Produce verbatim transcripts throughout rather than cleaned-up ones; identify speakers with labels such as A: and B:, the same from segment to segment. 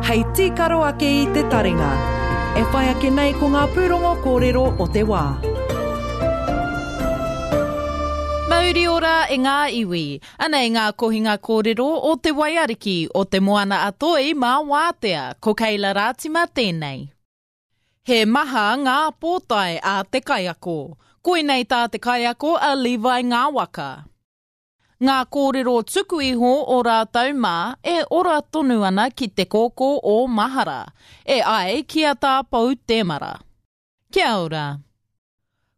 A: Hei tīkaro ake i te taringa. E whai ake nei ko ngā pūrongo kōrero o te wā.
B: Mauri ora e ngā iwi. Anei ngā kohinga kōrero o te waiariki o te Moana a Toi mā Wātea, ko Keila Rātima tēnei. He maha ngā pōtae a te kaiako. Koinei tā te kaiako a Levi Ngāwaka. Ngā kōrero tuku iho o rātou mā e ora tonu ana ki te kōkō o Mahara, e ai ki a tā Pou Temara. Kia ora.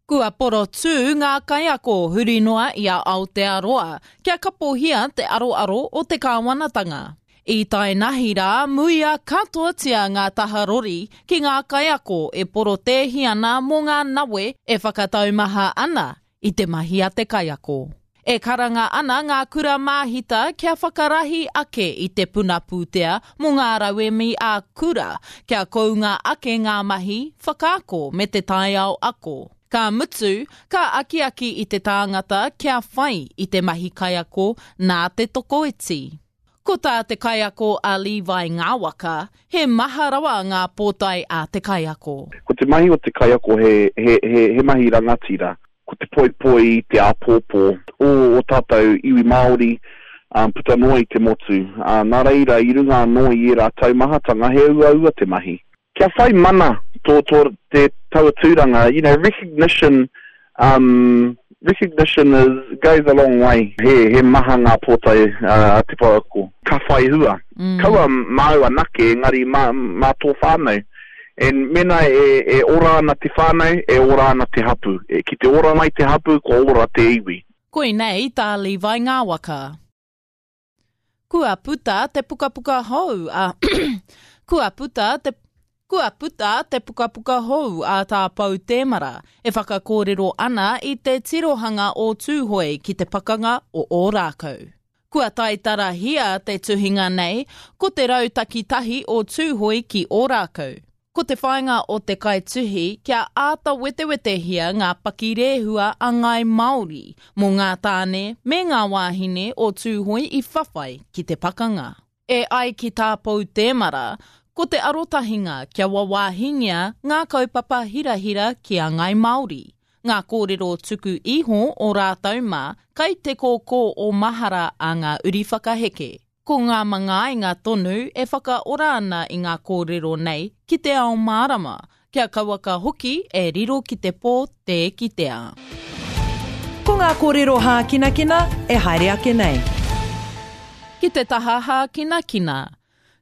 B: Kua porotū ngā kaiako huri noa i a Aotearoa kia kapohia te aroaro o te kāwanatanga. I tae nahi rā, muia katoatia ngā taha rori ki ngā kaiako e porotēhi ana mō ngā nawe e whakataumaha ana i te mahi a te kaiako. E karanga ana ngā kura māhita kia whakarahi ake i te puna pūtea mō ngā rauemi a kura, kia kounga ake ngā mahi, whakaako me te taiao ako. Ka mutu, ka akiaki i te tāngata kia whai i te mahi kaiako nā te tokoiti. Ko tā te kaiako a Levi Ngāwaka, he maha rawa ngā pōtae a te kaiako.
C: Ko te mahi o te kaiako he, he, he, he mahi rangatira. Ko te poipoi i te āpōpō o, o tātou iwi Māori um, puta noa i te motu. Uh, nā reira, i runga anō i ērā taumahatanga, he uaua te mahi. Kia whai mana tō, tō te taua tūranga, you know, recognition, um, recognition is, goes a long way. He, he maha ngā pōtae uh, a te pouako. Ka whai hua. Mm. Kaua māu anake, engari mā, mā tō whānau. And mena e, e ora ana te whānau, e ora ana te hapu. E, ki te ora mai te hapu, kua ora te iwi.
B: Koinei tā Levi Ngāwaka. Kua puta te pukapuka hou a Kua puta te Kua puta te pukapuka hou a tā Pou Temara e whakakōrero ana i te tirohanga o Tūhoe ki te pakanga o Ōrākau. Kua taitarahia te tuhinga nei, ko te rautaki tahi o Tūhoe ki Ōrākau. Ko te whāinga o te kaituhi kia āta wetewetehia ngā pakirehua a Ngāi Māori mō ngā tāne me ngā wāhine o Tūhoe i whawhai ki te pakanga. E ai ki tā Pou Temara, ko te arotahinga kia wawāhingia ngā kaupapa hirahira ki a Ngāi Māori. Ngā kōrero tuku iho o rātou mā kai te kōkō o Mahara a ngā uri whakaheke. Ko ngā mangainga tonu e whakaora ana i ngā kōrero nei ki te ao mārama, kia kauaka hoki e riro ki te pō tē kitea.
A: Ko ngā kōrero hākinakina e haere ake nei.
B: Ki te taha hākinakina.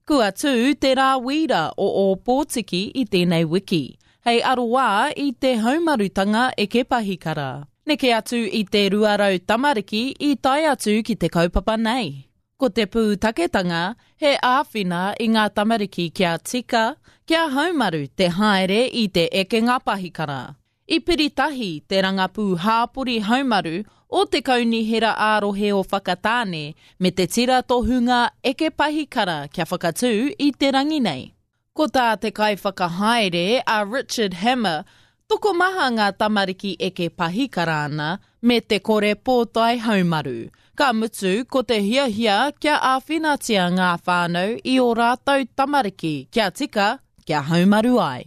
B: Kua tū te rā wīra o Ōpōtiki i tēnei wiki, hei aroā i te haumarutanga eke pahikara. Neke atu i te rua rau tamariki i tae atu ki te kaupapa nei. Ko te pūtaketanga, he āwhina i ngā tamariki kia tika, kia haumaru te haere i te ekenga pahikara. I piritahi te rangapū hāpori haumaru o te Kaunihera ā-rohe o Whakatāne me te tira tohunga eke pahikara kia whakatū i te rangi nei. Ko tā te kaiwhakahaere a Richard Hammer, tokomaha ngā tamariki eke pahikara ana me te kore pōtae haumaru. Ka mutu ko te hiahia kia āwhinatia ngā whānau i o rātou tamariki kia tika, kia haumaru ai.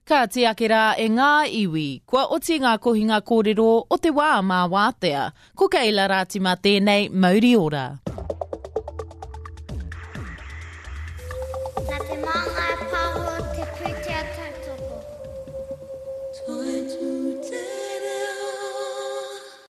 B: Ka tiake rā e ngā iwi, kua oti ngā kohinga kōrero o te wā mā wātea. Ko Keila Rātima tēnei, mauri ora.
D: Nā te māngai